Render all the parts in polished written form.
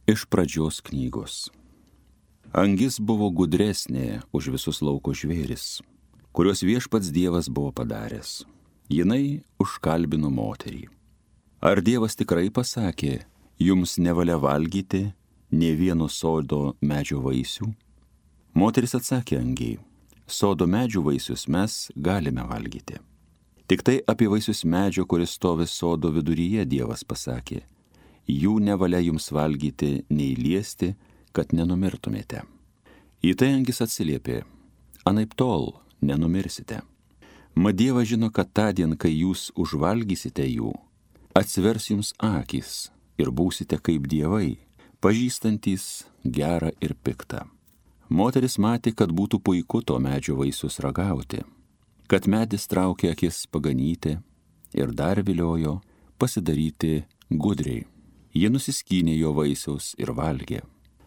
Iš pradžios knygos. Angis buvo gudresnė už visus lauko žvėris, kuriuos viešpats Dievas buvo padaręs. Jinai užkalbino moterį. Ar Dievas tikrai pasakė, jums nevalia valgyti nė vieno sodo medžio vaisių? Moteris atsakė angiai, sodo medžių vaisius mes galime valgyti. Tik tai apie vaisius medžio, kuris stovi sodo viduryje, Dievas pasakė, jų nevalia jums valgyti nei liesti, kad nenumirtumėte. Į tai angis atsiliepė, anaiptol nenumirsite. Mat Dievas žino, kad tądien, kai jūs užvalgysite jų, atsivers jums akys ir būsite kaip dievai, pažįstantys gerą ir piktą. Moteris matė, kad būtų puiku to medžio vaisius ragauti, kad medis traukė akis paganyti ir dar viliojo pasidaryti gudriai. Ji nusiskynė jo vaisiaus ir valgė.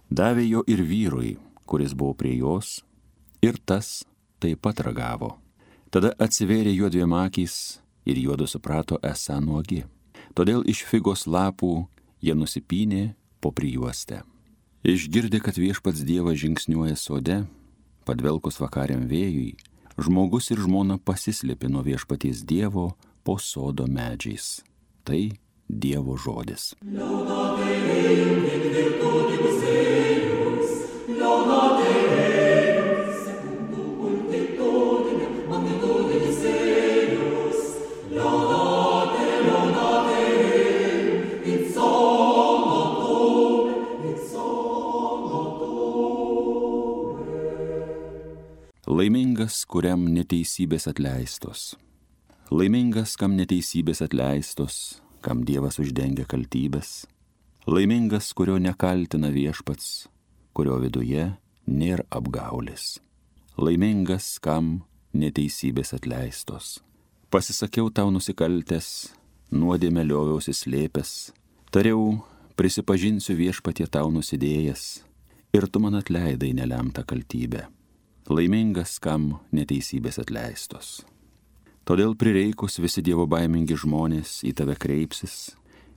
Davė jo ir vyrui, kuris buvo prie jos, ir tas taip pat ragavo. Tada atsivėrė juodviem akys ir juodu suprato esą nuogi. Todėl iš figos lapų jie nusipynė po prijuostę. Išgirdė, kad viešpats Dievas žingsniuoja sode, padvelkus vakariam vėjui, žmogus ir žmona pasislėpė nuo viešpaties Dievo po sodo medžiais. Tai Dievo žodis. Laimingas, kuriam neteisybės atleistos. Laimingas, kam neteisybės atleistos, kam Dievas uždengia kaltybės. Laimingas, kurio nekaltina viešpats, kurio viduje nėra apgaulės. Laimingas, kam neteisybės atleistos. Pasisakiau tau nusikaltęs, nuodėmę lioviausi slėpęs, tariau, prisipažinsiu viešpatie tau nusidėjęs, ir tu man atleidai nelemtą kaltybę. Laimingas, kam neteisybės atleistos. Todėl prireikus visi Dievo baimingi žmonės į tave kreipsis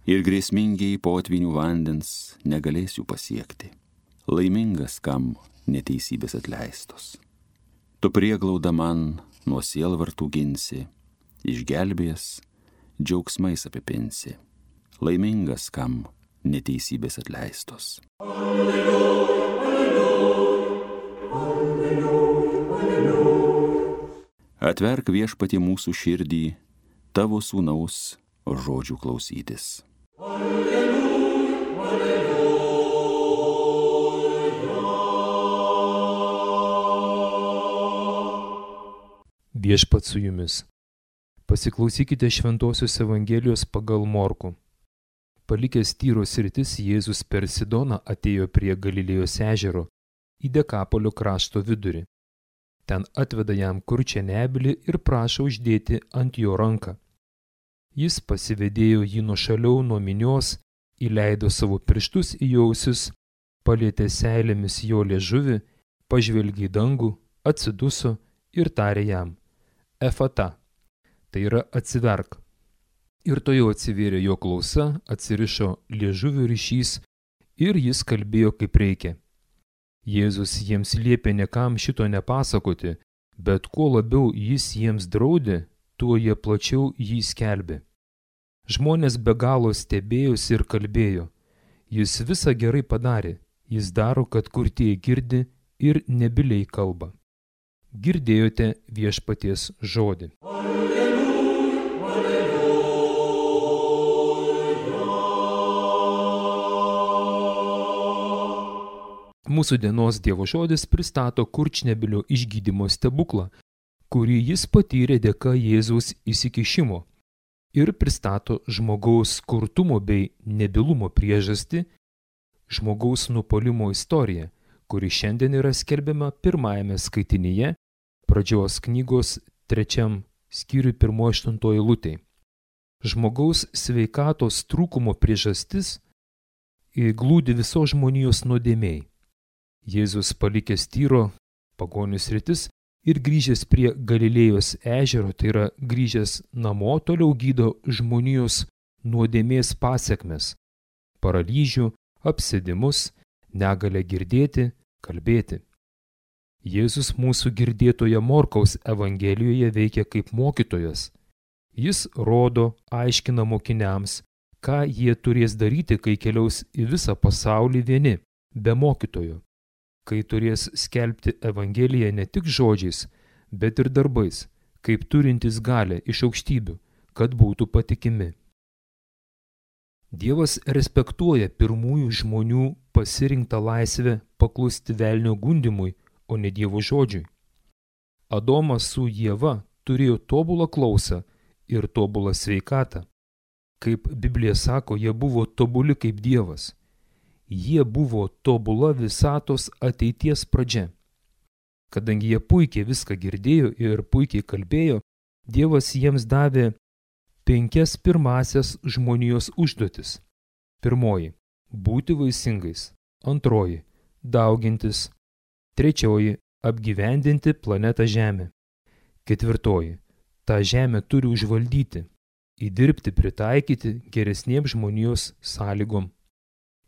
ir grėsmingiai potvinių vandens negalės jų pasiekti. Laimingas, kam neteisybės atleistos. Tu prieglauda man nuo sielvartų ginsi, išgelbėjęs džiaugsmais apipinsi. Laimingas, kam neteisybės atleistos. Alleluja, alleluja, alleluja. Atverk viešpatie mūsų širdį, tavo sūnaus žodžių klausytis. Alleluja, alleluja. Viešpats su jumis. Pasiklausykite Šventosios Evangelijos pagal Morkų. Palikęs Tyros sritis, Jėzus per Sidoną atėjo prie Galilėjos ežero į Dekapolio krašto vidurį. Ten atveda jam kurčią nebylį ir prašo uždėti ant jo ranką. Jis pasivedėjo jį nuošaliau nuo minios, įleido savo pirštus į jo ausis, palietė seilėmis jo liežuvį, pažvelgė į dangų, atsiduso ir tarė jam, Efata, tai yra atsiverk. Ir tuojau atsivėrė jo klausa, atsirišo liežuvio ryšys ir jis kalbėjo kaip reikia. Jėzus jiems liepė niekam šito nepasakoti, bet kuo labiau jis jiems draudė, tuo jie plačiau jį skelbė. Žmonės be galo stebėjosi ir kalbėjo, jis visą gerai padarė, jis daro, kad kurtieji girdi ir nebyliai kalba. Girdėjote viešpaties žodį. Mūsų dienos Dievo žodis pristato kurčnebylio išgydymo stebuklą, kurį jis patyrė dėka Jėzaus įsikišimo ir pristato žmogaus kurtumo bei nebylumo priežastį, žmogaus nupuolimo istoriją, kuri šiandien yra skelbiama pirmajame skaitinyje, pradžios knygos 3 skyriui 1-8 eilutei. Žmogaus sveikatos trūkumo priežastis glūdi visos žmonijos nuodėmėj. Jėzus palikęs Tyro pagonių sritis ir grįžęs prie Galilėjos ežero, tai yra grįžęs namo, toliau gydo žmonijos nuodėmės pasekmes – paralyžių, apsėdimus, negalę girdėti, kalbėti. Jėzus mūsų girdėtoje Morkaus Evangelijoje veikia kaip mokytojas. Jis rodo, aiškina mokiniams, ką jie turės daryti, kai keliaus į visą pasaulį vieni, be mokytojo, kai turės skelbti Evangeliją ne tik žodžiais, bet ir darbais, kaip turintys galę iš aukštybių, kad būtų patikimi. Dievas respektuoja pirmųjų žmonių pasirinktą laisvę paklusti velnio gundymui, o ne Dievo žodžiui. Adomas su Ieva turėjo tobulą klausą ir tobulą sveikatą. Kaip Biblija sako, jie buvo tobuli kaip Dievas. Jie buvo tobula visatos ateities pradžia. Kadangi jie puikiai viską girdėjo ir puikiai kalbėjo, Dievas jiems davė 5 pirmasias žmonijos užduotis. Pirmoji – būti vaisingais. Antroji – daugintis. Trečioji – apgyvendinti planetą Žemę. Ketvirtoji – tą žemę turi užvaldyti, įdirbti, pritaikyti geresniems žmonijos sąlygom.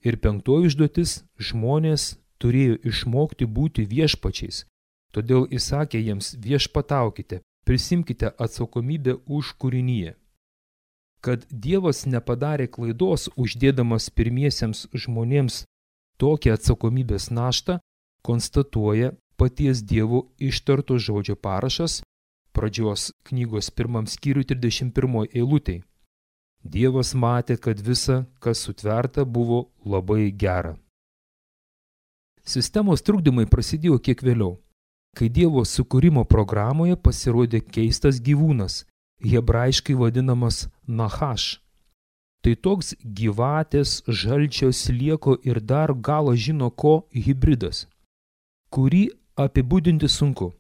Ir penktoji užduotis – žmonės turėjo išmokti būti viešpačiais. Todėl įsakė jiems: viešpataukite, prisimkite atsakomybę už kūriniją. Kad Dievas nepadarė klaidos, uždėdamas pirmiesiems žmonėms tokią atsakomybės naštą, konstatuoja paties Dievo ištarto žodžio parašas pradžios knygos 1 skyriui 31 eilutei. Dievas matė, kad visa, kas sutverta, buvo labai gera. Sistemos trukdymai prasidėjo kiek vėliau, kai Dievo sukūrimo programoje pasirodė keistas gyvūnas, hebrajiškai vadinamas Nachaš. Tai toks gyvatės, žalčio, slieko ir dar galo žino ko hibridas, kurį apibūdinti sunku.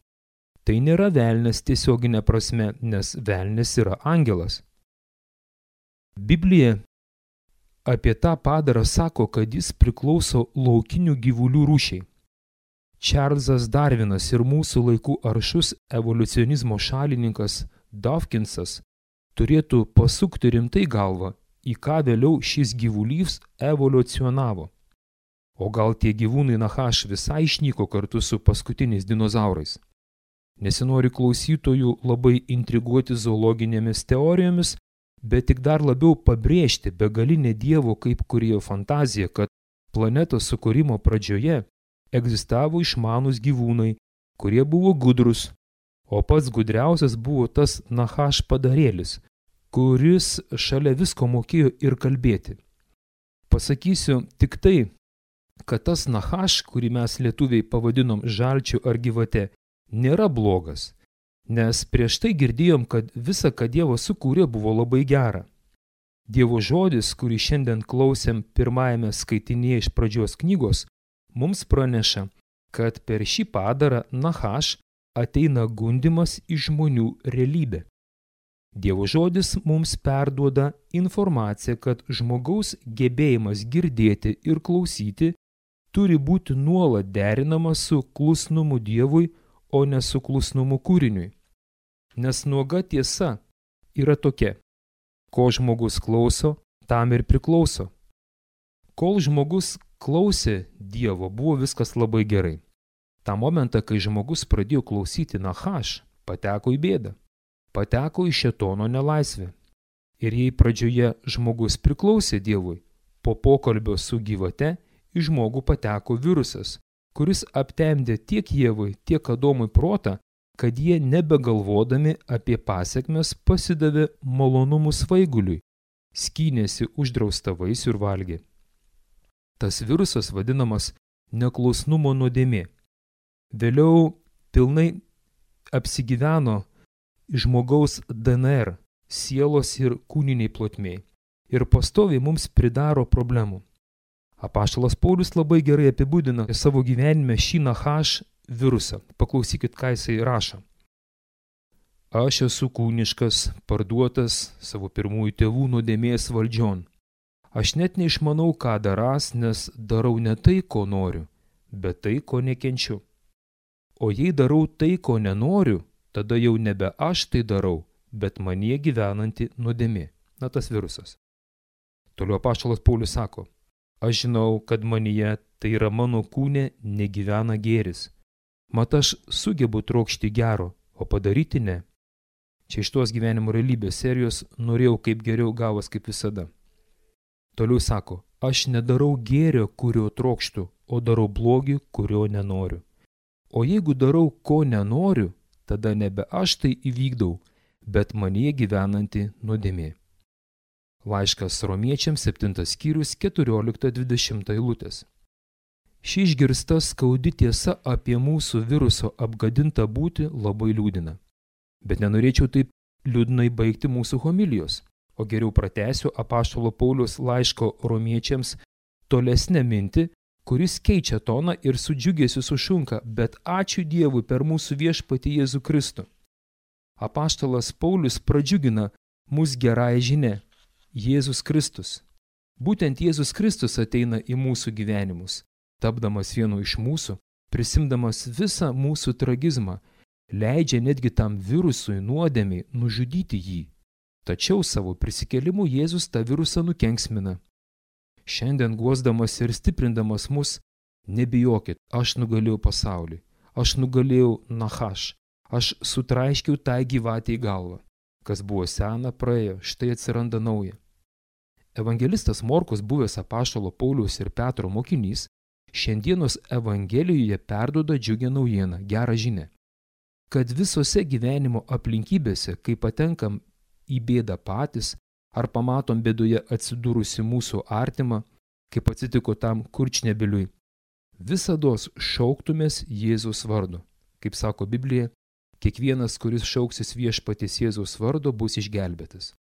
Tai nėra velnias tiesioginė prasme, nes velnias yra angelas. Biblija apie tą padarą sako, kad jis priklauso laukinių gyvulių rūšiai. Čarlzas Darvinas ir mūsų laikų aršus evoliucionizmo šalininkas Dawkinsas turėtų pasukti rimtai galvą, į ką vėliau šis gyvulys evoliucionavo. O gal tie gyvūnai Nachaš visai išnyko kartu su paskutiniais dinozaurais? Nesinori klausytojų labai intriguoti zoologinėmis teorijomis, bet tik dar labiau pabrėžti begalinę Dievo kaip kūrėjo fantaziją, kad planetos sukūrimo pradžioje egzistavo išmanūs gyvūnai, kurie buvo gudrus, o pats gudriausias buvo tas Nachaš padarėlis, kuris šalia visko mokėjo ir kalbėti. Pasakysiu tik tai, kad tas Nachaš, kurį mes lietuviai pavadinom žalčiu ar gyvate, nėra blogas, nes prieš tai girdėjom, kad visa, ką Dievas sukūrė, buvo labai gera. Dievo žodis, kurį šiandien klausėm pirmajame skaitinėje iš pradžios knygos, mums praneša, kad per šį padarą Nachaš ateina gundymas į žmonių realybę. Dievo žodis mums perduoda informaciją, kad žmogaus gebėjimas girdėti ir klausyti turi būti nuolat derinamas su klusnumu Dievui, o ne su klusnumu kūriniui. Nes nuoga tiesa yra tokia: ko žmogus klauso, tam ir priklauso. Kol žmogus klausė Dievo, buvo viskas labai gerai. tą momentą, kai žmogus pradėjo klausyti Nachaš, pateko į bėdą, pateko į šėtono nelaisvę. Ir jei pradžioje žmogus priklausė Dievui, po pokalbio su gyvate į žmogų pateko virusas, kuris aptemdė tiek Ievai, tiek Adomui protą, kad jie nebegalvodami apie pasekmes pasidavė malonumų svaiguliui, skynėsi uždraustą vaisių ir valgė. Tas virusas vadinamas neklusnumo nuodėmė. Vėliau pilnai apsigyveno žmogaus DNR, sielos ir kūniniai plotmėj, ir pastoviai mums pridaro problemų. Apaštalas Paulius labai gerai apibūdina savo gyvenime šį Nachaš virusą. Paklausykit, ką jisai rašo. Aš esu kūniškas, parduotas savo pirmųjų tėvų nuodėmės valdžion. Aš net neišmanau, ką darąs, nes darau ne tai, ko noriu, bet tai, ko nekenčiu. O jei darau tai, ko nenoriu, tada jau nebe aš tai darau, bet manyje gyvenanti nuodėmė. Na, tas virusas. Toliau apaštalas Paulius sako, Aš žinau, kad manyje, tai yra mano kūne, negyvena gėris. Mat aš sugebu trokšti gero, o padaryti ne. Čia iš tos gyvenimo realybės serijos norėjau kaip geriau gavos kaip visada. Toliau sako, aš nedarau gėrio, kurio trokštu, o darau blogį, kurio nenoriu. O jeigu darau, ko nenoriu, tada nebe aš tai įvykdau, bet manyje gyvenanti nuodėmė. Laiškas Romiečiams 7 skyrius 14-20 eilutės. Ši išgirsta skaudi tiesa apie mūsų viruso apgadintą būtį labai liūdina. Bet nenorėčiau taip liūdnai baigti mūsų homilijos, o geriau pratęsiu apaštalo Pauliaus laiško Romiečiams tolesnę mintį, kuris keičia toną ir su džiugesiu sušunka, bet ačiū Dievui per mūsų viešpatį Jėzų Kristų. Apaštalas Paulius pradžiugina mus gerąją žinią – Jėzus Kristus. Būtent Jėzus Kristus ateina į mūsų gyvenimus, tapdamas vienu iš mūsų, prisimdamas visą mūsų tragizmą, leidžia netgi tam virusui nuodėmiai nužudyti jį. Tačiau savo prisikėlimu Jėzus tą virusą nukenksmina. Šiandien guosdamas ir stiprindamas mus, nebijokit, aš nugalėjau pasaulį, aš nugalėjau Nachaš, aš sutraiškiau tą gyvatę į galvą. Kas buvo sena, praėjo, štai atsiranda nauja. Evangelistas Morkus, buvęs apaštalo Pauliaus ir Petro mokinys, šiandienos Evangelijoje perduoda džiugią naujieną, gerą žinią, kad visose gyvenimo aplinkybėse, kai patenkam į bėdą patys, ar pamatom bėdoje atsidūrusi mūsų artimą, kaip atsitiko tam Kurčnebyliui, visados šauktumės Jėzaus vardo. Kaip sako Biblija, kiekvienas, kuris šauksis viešpaties Jėzaus vardo, bus išgelbėtas.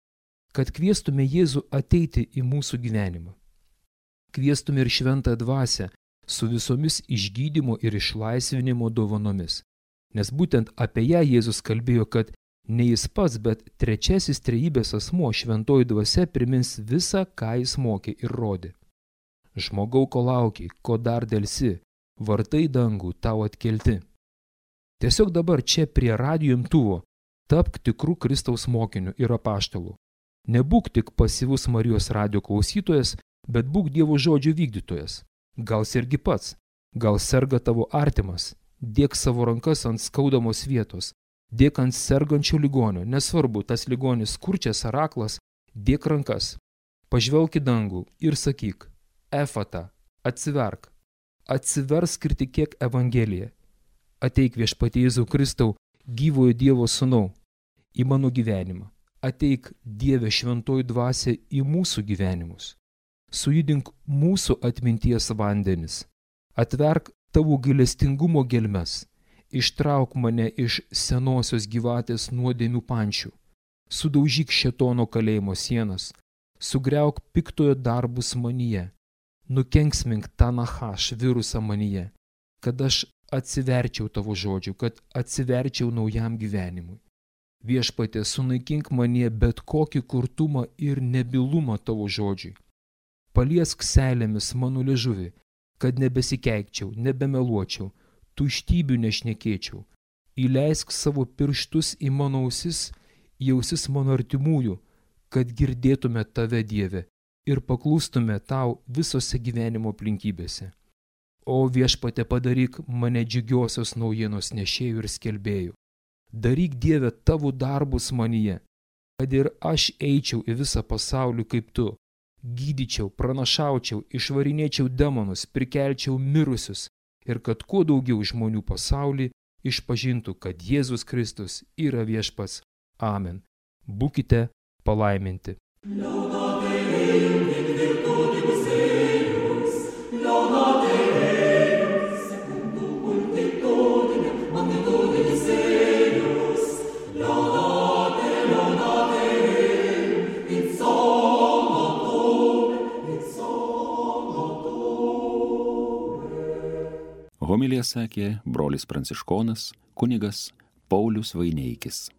Kad kviestume Jėzų ateiti į mūsų gyvenimą. Kviestume ir šventą dvasią su visomis išgydymo ir išlaisvinimo dovanomis. Nes būtent apie ją Jėzus kalbėjo, kad ne jis pats, bet trečiasis trejybės asmuo, šventoji dvasia, primins visą, ką jis mokė ir rodė. Žmogau, ko lauki, ko dar delsi, vartai dangų tau atkelti. Tiesiog dabar čia prie radijo imtuvo tapk tikrų Kristaus mokinių ir apaštalų. Nebūk tik pasyvus Marijos radijo klausytojas, bet būk Dievo žodžio vykdytojas. Gal sergi pats, gal serga tavo artimas, dėk savo rankas ant skaudamos vietos, dėk ant sergančio ligonio, nesvarbu, tas ligonis kurčias ar aklas, dėk rankas, pažvelk į dangų ir sakyk, Efata, atsiverk, atsiversk ir tikėk Evangeliją. Ateik viešpatie Jėzau Kristau, gyvojo Dievo sūnau, į mano gyvenimą. Ateik Dieve šventoji dvasia į mūsų gyvenimus. Sujudink mūsų atminties vandenis. Atverk tavo gailestingumo gelmes. Ištrauk mane iš senosios gyvatės nuodėmių pančių. Sudaužyk šėtono kalėjimo sienas. Sugriauk piktojo darbus manyje. Nukenksmink tą Nachaš virusą manyje. Kad aš atsiverčiau tavo žodžių, kad atsiverčiau naujam gyvenimui. Viešpatie, sunaikink manyje bet kokį kurtumą ir nebylumą tavo žodžiui. Paliesk seilėmis mano liežuvį, kad nebesikeikčiau, nebemeluočiau, tuštybių nešnekėčiau. Įleisk savo pirštus į mano ausis, į ausis mano artimųjų, kad girdėtume tave, Dieve, ir paklūstume tau visose gyvenimo aplinkybėse. O viešpatie, padaryk mane džiugiosios naujienos nešėjų ir skelbėjų. Daryk, Dieve, tavo darbus manyje, kad ir aš eičiau į visą pasaulį kaip tu, gydyčiau, pranašaučiau, išvarinėčiau demonus, prikelčiau mirusius ir kad kuo daugiau žmonių pasaulį išpažintų, kad Jėzus Kristus yra viešpats. Amen. Būkite palaiminti. Homiliją sakė brolis pranciškonas kunigas Paulius Vaineikis.